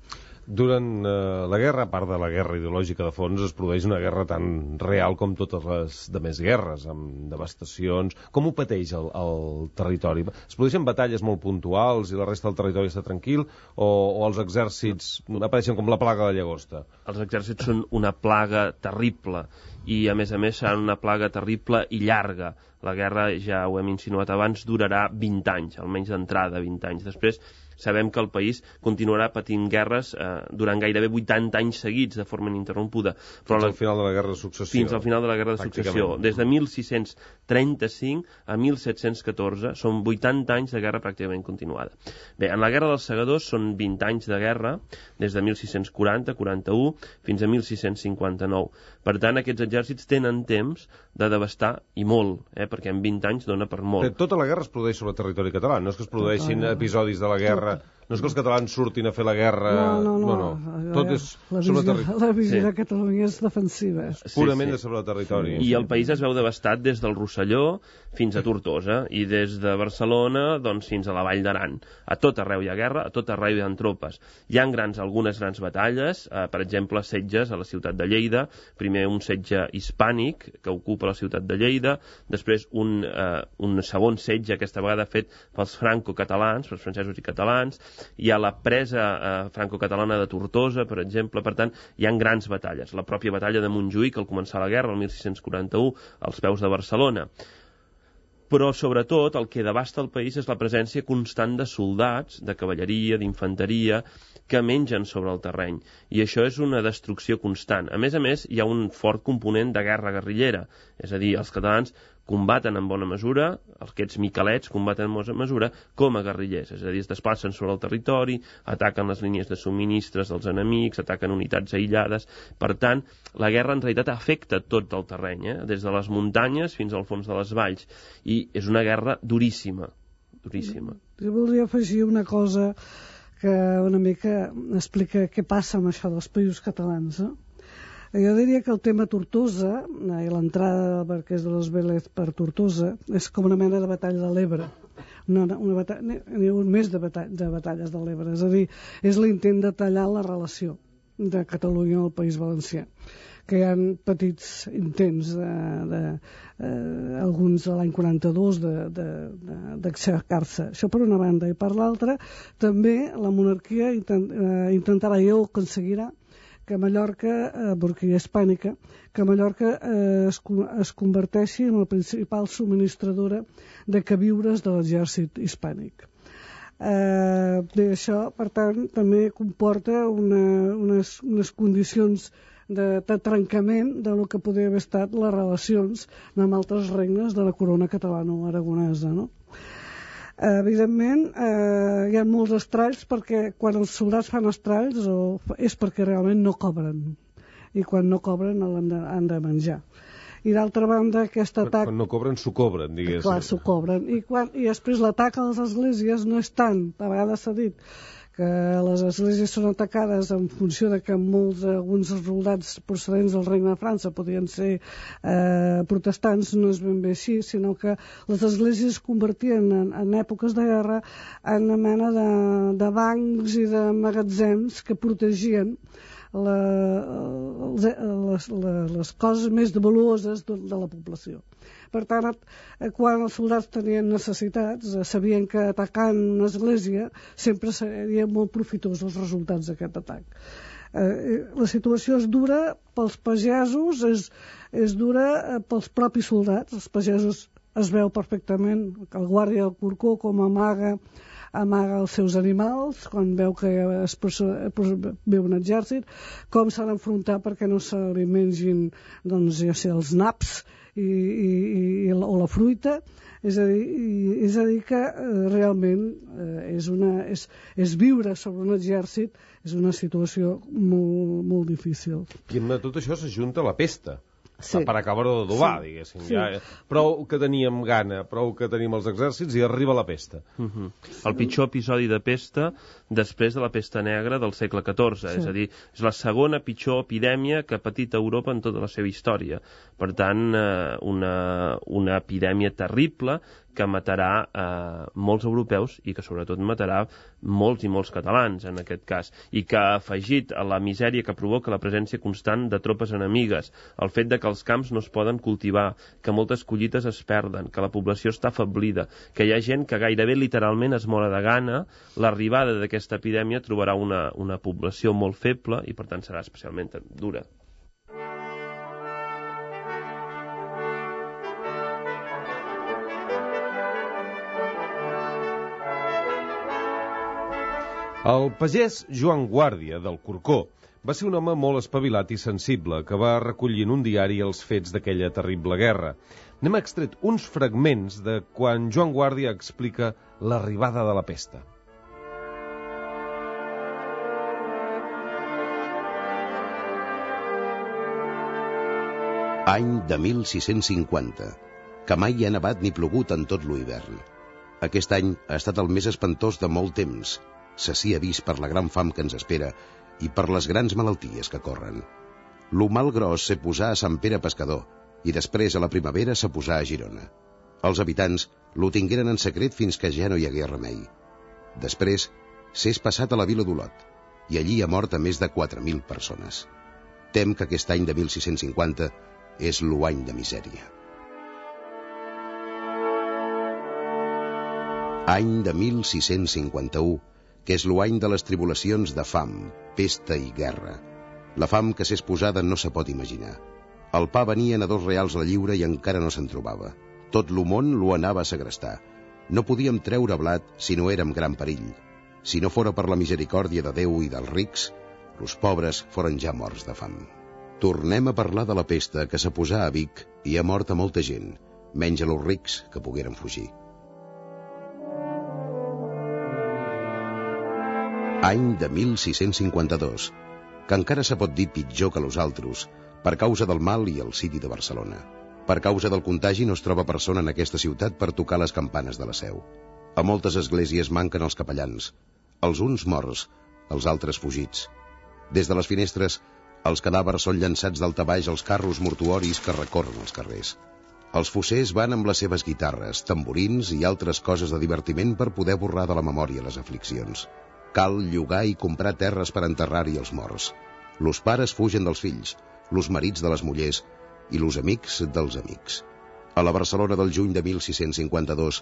Durant la guerra, a part de la guerra ideològica de fons, es produeix una guerra tan real com totes les demés guerres, amb devastacions. Com ho pateix el territori? Es produeixen batalles molt puntuals i la resta del territori està tranquil? O els exèrcits apareixen com la plaga de la llagosta? Els exèrcits són una plaga terrible i, a més, seran una plaga terrible i llarga. La guerra, ja ho hem insinuat abans, durarà 20 anys, almenys d'entrada 20 anys. Després sabem que el país continuarà patint guerres durant gairebé 80 anys seguits de forma ininterrompuda. Fins al final de la Guerra de Successió. Fins al final de la Guerra de Successió. Des de 1635 a 1714 són 80 anys de guerra pràcticament continuada. Bé, en la Guerra dels Segadors són 20 anys de guerra, des de 1640-41 fins a 1659. Per tant, aquests exèrcits tenen temps de devastar i molt, perquè en 20 anys dona per molt. Tota la guerra es produeix sobre el territori català, no és que es produeixin episodis de la guerra, no és que els catalans surtin a fer la guerra... No. Tot és sobre el territori. La visió de Catalunya és defensiva. Purament sobre el territori. I el país es veu devastat des del Rosselló fins a Tortosa, i des de Barcelona doncs, fins a la Vall d'Aran. A tot arreu hi ha guerra, a tot arreu hi ha tropes. Hi ha algunes grans batalles, per exemple, setges a la ciutat de Lleida, primer un setge hispànic que ocupa la ciutat de Lleida, després un segon setge, aquesta vegada fet pels franco-catalans, pels francesos i catalans, hi ha la presa franco-catalana de Tortosa, per exemple. Per tant, hi ha grans batalles. La pròpia batalla de Montjuïc, al començar la guerra, el 1641, als peus de Barcelona. Però, sobretot, el que devasta el país és la presència constant de soldats, de cavalleria, d'infanteria, que mengen sobre el terreny. I això és una destrucció constant. A més, hi ha un fort component de guerra guerrillera. És a dir, els catalans combaten en bona mesura, aquests miquelets combaten en bona mesura com a guerrillers, és a dir, es desplacen sobre el territori, ataquen les línies de subministres dels enemics, ataquen unitats aïllades. Per tant, la guerra en realitat afecta tot el terreny, des de les muntanyes fins al fons de les valls, i és una guerra duríssima, duríssima. Jo voldria afegir una cosa que una mica explica què passa amb això dels països catalans, Jo diria que el tema Tortosa i l'entrada del Marquès de los Vélez per Tortosa és com una mena de batalla de l'Ebre. N'hi ha un més de batalles de l'Ebre. És a dir, és l'intent de tallar la relació de Catalunya al País Valencià. Que hi ha petits intents, alguns de l'any 42, d'aixecar-se. Això per una banda. I per l'altra, també la monarquia intentarà i ho aconseguirà que Mallorca, monarquia hispànica, que Mallorca es converteixi en la principal subministradora de queviures de l'exèrcit hispànic. Això, per tant, també comporta unes condicions de trencament de lo que podria haver estat les relacions amb altres regnes de la corona catalano-aragonesa, no? Evidentment, hi ha molts estralls perquè quan els soldats fan estralls és perquè realment no cobren, i quan no cobren han de menjar. I d'altra banda, aquest atac... Quan no cobren, s'ho cobren, diguéssim. Clar, s'ho cobren. I després l'atac a les esglésies no és tant, a vegades s'ha dit, que les esglésies són atacades en funció de que alguns soldats procedents del Regne de França podien ser protestants, no és ben bé així, sinó que les esglésies es convertien en èpoques de guerra en una mena de bancs i de magatzems que protegien les coses més valuoses de la població. Per tant, quan els soldats tenien necessitats, sabien que atacant una església sempre serien molt profitosos els resultats d'aquest atac. La situació és dura pels pagesos, és dura pels propis soldats. Els pagesos es veu perfectament que el guàrdia del Corcó com amaga els seus animals quan veu que ve un exèrcit, com s'ha d'enfrontar perquè no se li mengin els naps o la fruita. És a dir que realment és viure sobre un exèrcit és una situació molt, molt difícil. I amb tot això s'ajunta la pesta. Sí. Per acabar-ho d'adobar, diguéssim. Sí. Ja, prou que teníem gana, prou que tenim els exèrcits i arriba la pesta. El pitjor episodi de pesta després de la pesta negra del segle XIV. Sí. És a dir, és la segona pitjor epidèmia que ha patit Europa en tota la seva història. Per tant, una epidèmia terrible que matarà molts europeus i que sobretot matarà molts i molts catalans en aquest cas, i que ha afegit a la misèria que provoca la presència constant de tropes enemigues, el fet de que els camps no es poden cultivar, que moltes collites es perden, que la població està afeblida, que hi ha gent que gairebé literalment es mora de gana. L'arribada d'aquesta epidèmia trobarà una població molt feble i per tant serà especialment dura. El pagès Joan Guàrdia, del Corcó, va ser un home molt espavilat i sensible que va recollir en un diari els fets d'aquella terrible guerra. N'hem extret uns fragments de quan Joan Guàrdia explica l'arribada de la pesta. Any de 1650, que mai ha nevat ni plogut en tot l'hivern. Aquest any ha estat el més espantós de molt temps. S'hi ha vist per la gran fam que ens espera i per les grans malalties que corren. Lo mal gros se posà a Sant Pere Pescador i després a la primavera se posà a Girona. Els habitants lo tingueren en secret fins que ja no hi hagué remei. Després s'és passat a la vila d'Olot i allí ha mort a més de 4.000 persones. Tem que aquest any de 1650 és l'any de misèria. Any de 1651, que és l'any de les tribulacions de fam, pesta i guerra. La fam que s'és posada no se pot imaginar. El pa venien a 2 reals la lliura i encara no se'n trobava. Tot lo món lo anava a segrestar. No podíem treure blat si no érem gran perill. Si no fora per la misericòrdia de Déu i dels rics, los pobres foren ja morts de fam. Tornem a parlar de la pesta que se posà a Vic i ha mort a molta gent, menys a los rics que pogueren fugir. Any de 1652, que encara se pot dir pitjor que los altres, per causa del mal i el siti de Barcelona. Per causa del contagi no es troba persona en aquesta ciutat per tocar les campanes de la seu. A moltes esglésies manquen els capellans, els uns morts, els altres fugits. Des de les finestres, els cadàvers són llançats d'alta baix als carros mortuoris que recorren els carrers. Els fossers van amb les seves guitarres, tamborins i altres coses de divertiment per poder borrar de la memòria les afliccions. Cal llogar i comprar terres per enterrar-hi els morts. Los pares fugen dels fills, los marits de les mullers i los amics dels amics. A la Barcelona del juny de 1652,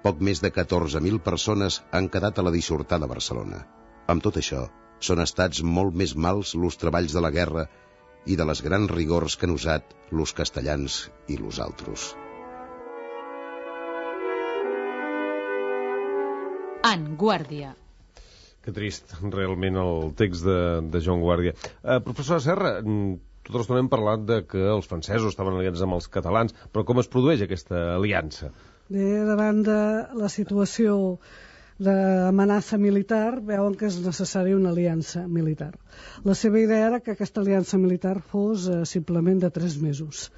poc més de 14.000 persones han quedat a la dissortada Barcelona. Amb tot això, són estats molt més mals los treballs de la guerra i de les grans rigors que han usat los castellans i los altres. En Guàrdia. Que trist, realment, el text de Joan Guàrdia. Professora Serra, tota l'estona hem parlat de que els francesos estaven aliats amb els catalans, però com es produeix aquesta aliança? Bé, davant de la situació d'amenaça militar, veuen que és necessària una aliança militar. La seva idea era que aquesta aliança militar fos simplement de 3 mesos.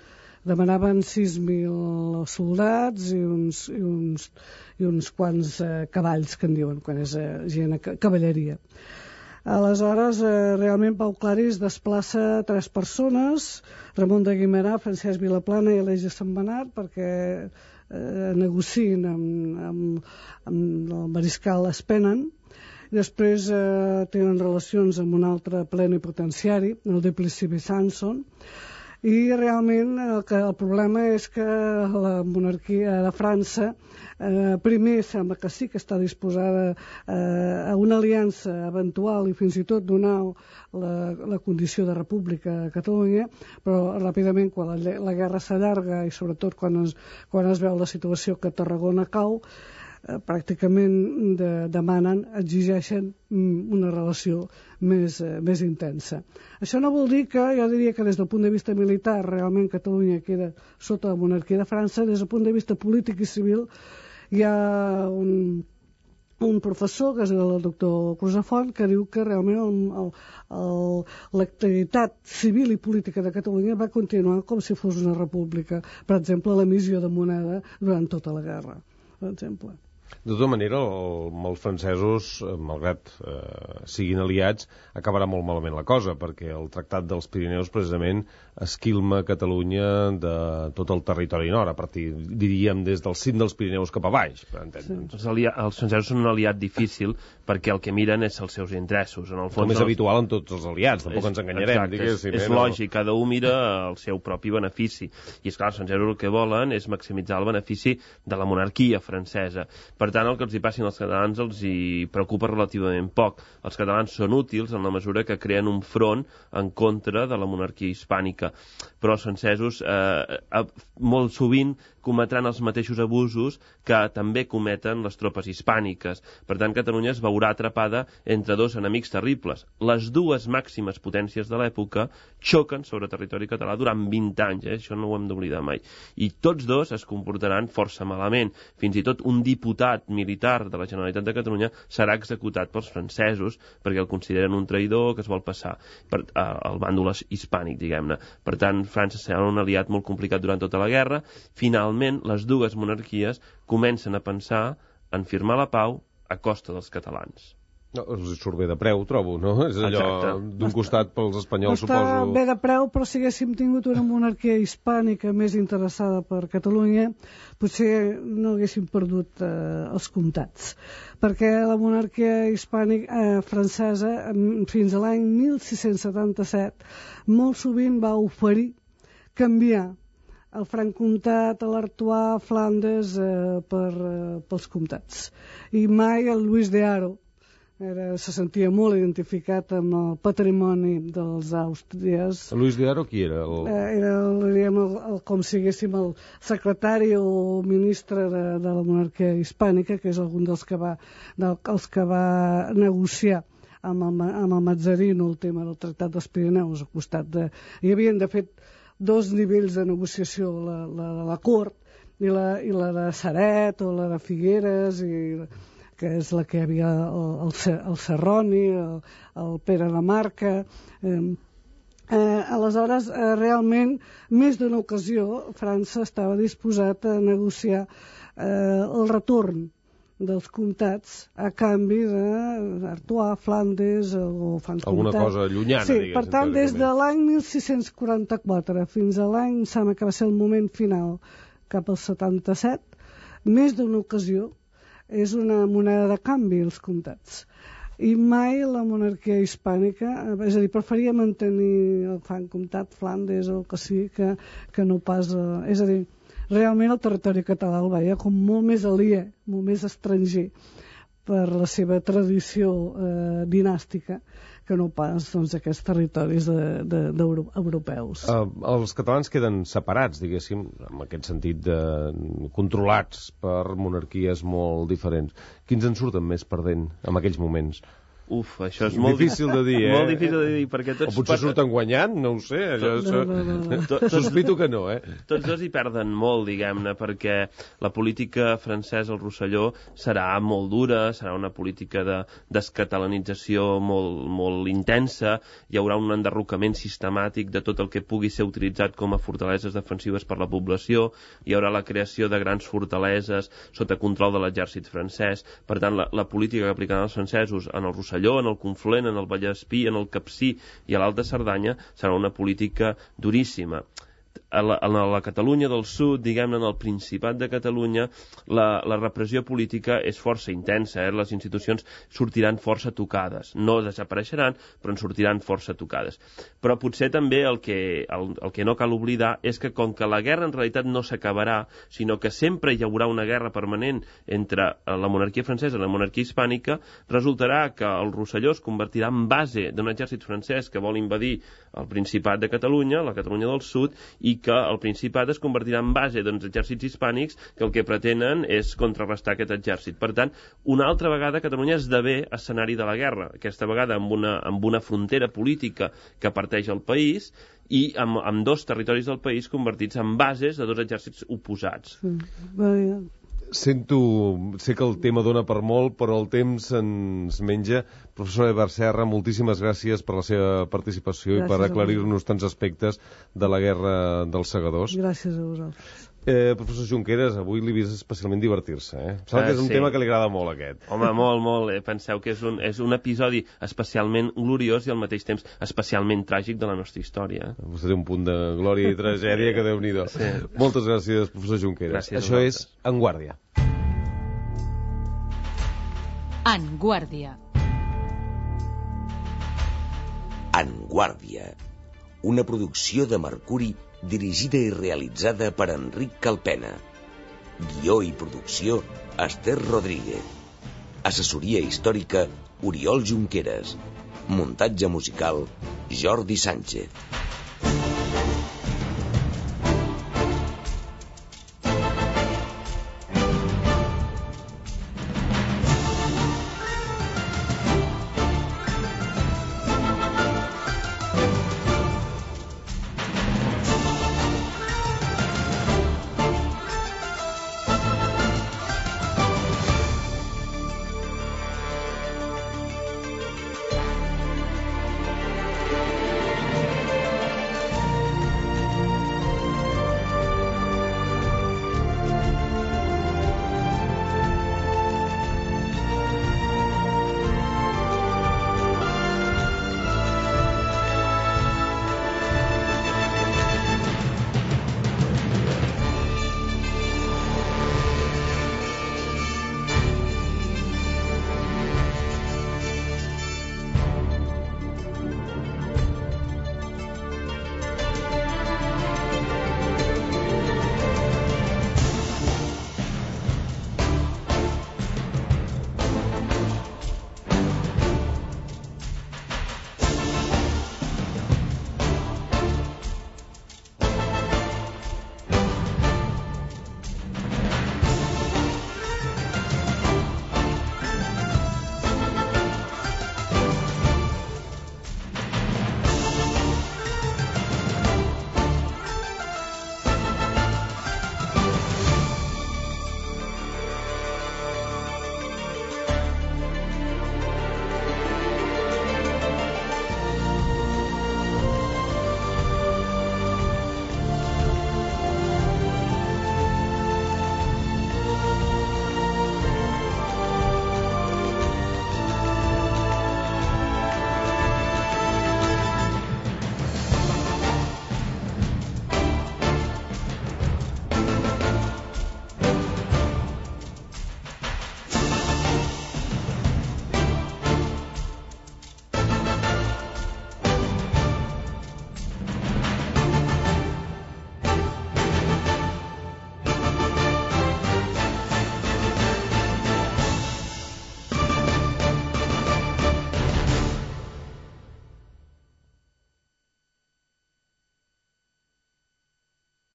Demanaven 6.000 soldats i uns quants cavalls, que en diuen, quan és gent cavalleria. Aleshores, realment Pau Claris desplaça 3 persones, Ramon de Guimerà, Francesc Vilaplana i Aleix de Sant Benat, perquè negociïn amb el mariscal Espenen, Després tenen relacions amb un altre plenipotenciari, el Duplessis Sanson, i realment el problema és que la monarquia de França primer sembla que sí que està disposada a una aliança eventual i fins i tot donar la condició de república a Catalunya, però ràpidament quan la guerra s'allarga i sobretot quan es veu la situació que Tarragona cau, pràcticament demanen, exigeixen una relació més intensa. Això no vol dir que, jo diria que des del punt de vista militar realment Catalunya queda sota la monarquia de França. Des del punt de vista polític i civil hi ha un professor, que és el doctor Crusafont, que diu que realment l'activitat civil i política de Catalunya va continuar com si fos una república. Per exemple, l'emissió de moneda durant tota la guerra, per exemple. De tota manera, amb els francesos, malgrat siguin aliats, acabarà molt malament la cosa, perquè el Tractat dels Pirineus precisament esquilma Catalunya de tot el territori nord, a partir, diríem, des del cim dels Pirineus cap a baix. Sí. Els francesos són un aliat difícil perquè el que miren és els seus interessos. En el fons, com és habitual en tots els aliats, tampoc ens enganyarem. Exacte, és lògic, cada un mira el seu propi benefici. I és clar, els francesos el que volen és maximitzar el benefici de la monarquia francesa. Per tant, el que els hi passin als catalans els hi preocupa relativament poc. Els catalans són útils en la mesura que creen un front en contra de la monarquia hispànica. Però els francesos molt sovint cometran els mateixos abusos que també cometen les tropes hispàniques. Per tant, Catalunya es veurà atrapada entre dos enemics terribles. Les dues màximes potències de l'època xoquen sobre territori català durant 20 anys, això no ho hem d'oblidar mai. I tots dos es comportaran força malament. Fins i tot un diputat militar de la Generalitat de Catalunya serà executat pels francesos perquè el consideren un traïdor que es vol passar al bàndol hispànic, diguem-ne. Per tant, França serà un aliat molt complicat durant tota la guerra. Finalment, les dues monarquies comencen a pensar en firmar la pau a costa dels catalans. No, els surt bé de preu, trobo, no? És allò d'un costat pels espanyols, suposo... Està bé de preu, però si haguéssim tingut una monarquia hispànica més interessada per Catalunya, potser no haguéssim perdut els comtats. Perquè la monarquia hispànica francesa, fins a l'any 1677, molt sovint va oferir canviar el Franc-Comtat, l'Artois, Flandes pels comtats. I mai el Lluís de Haro se sentia molt identificat amb el patrimoni dels àustries. El Lluís de Haro qui era? Era, com si diguéssim, el secretari o ministre de la monarquia hispànica, que és algun dels que va negociar amb el Mazzarino el tema del Tractat dels Pirineus, al costat de... Hi havia, de fet, dos nivells de negociació, la de la cort i la de Ceret o la de Figueres, que és la que hi havia el Serroni, el Pere de Marca. Aleshores, realment, més d'una ocasió, França estava disposat a negociar el retorn dels comtats a canvi d'Artois, Flandes o Franc-Comtat. Alguna cosa llunyana, sí, per tant, des de l'any 1644 fins a l'any, em sembla que va ser el moment final, cap al 77, més d'una ocasió, és una moneda de canvi, els comtats. I mai la monarquia hispànica, és a dir, preferia mantenir el Franc-Comtat, Flandes o el que sigui, que no pas... És a dir, realment el territori català el veia com molt més aliè, molt més estranger per la seva tradició dinàstica que no pas aquests territoris europeus. Els catalans queden separats, diguéssim, en aquest sentit, controlats per monarquies molt diferents. Quins en surten més perdent en aquells moments? Això és molt difícil de dir, molt difícil de dir, perquè tots... O potser surten guanyant, no ho sé. Sospito que no, Tots dos hi perden molt, diguem-ne, perquè la política francesa al Rosselló serà molt dura, serà una política de descatalanització molt intensa, hi haurà un enderrocament sistemàtic de tot el que pugui ser utilitzat com a fortaleses defensives per la població, hi haurà la creació de grans fortaleses sota control de l'exèrcit francès. Per tant, la política que aplicaran els francesos en el Rosselló, en el Conflent, en el Vallespí, en el Capcir i a l'Alta Cerdanya serà una política duríssima. a la Catalunya del Sud, diguem-ne, en el Principat de Catalunya, la repressió política és força intensa, les institucions sortiran força tocades. No desapareixeran, però en sortiran força tocades. Però potser també el que no cal oblidar és que com que la guerra en realitat no s'acabarà, sinó que sempre hi haurà una guerra permanent entre la monarquia francesa i la monarquia hispànica, resultarà que el Rosselló es convertirà en base d'un exèrcit francès que vol invadir el Principat de Catalunya, la Catalunya del Sud, i que el Principat es convertirà en base d'uns exèrcits hispànics que el que pretenen és contrarrestar aquest exèrcit. Per tant, una altra vegada Catalunya esdevé escenari de la guerra, aquesta vegada amb una frontera política que parteix el país i amb dos territoris del país convertits en bases de dos exèrcits oposats. Sé que el tema dona per molt, però el temps ens menja. Professor Eduard Serra, moltíssimes gràcies per la seva participació i per aclarir-nos tants aspectes de la guerra dels segadors. Gràcies a vosaltres. Professor Junqueras, avui l'he vist especialment divertir-se, Sembla que és un tema que li agrada molt, aquest. Home, molt. Penseu que és un episodi especialment gloriós i al mateix temps especialment tràgic de la nostra història. Vostè té un punt de glòria i tragèdia que Déu-n'hi-do. Sí. Moltes gràcies, professor Junqueras. Gràcies. Això és En Guàrdia. En Guàrdia. En Guàrdia, una producció de Mercuri dirigida i realitzada per Enric Calpena. Guió i producció, Esther Rodríguez. Assessoria històrica, Oriol Junqueras. Muntatge musical, Jordi Sánchez.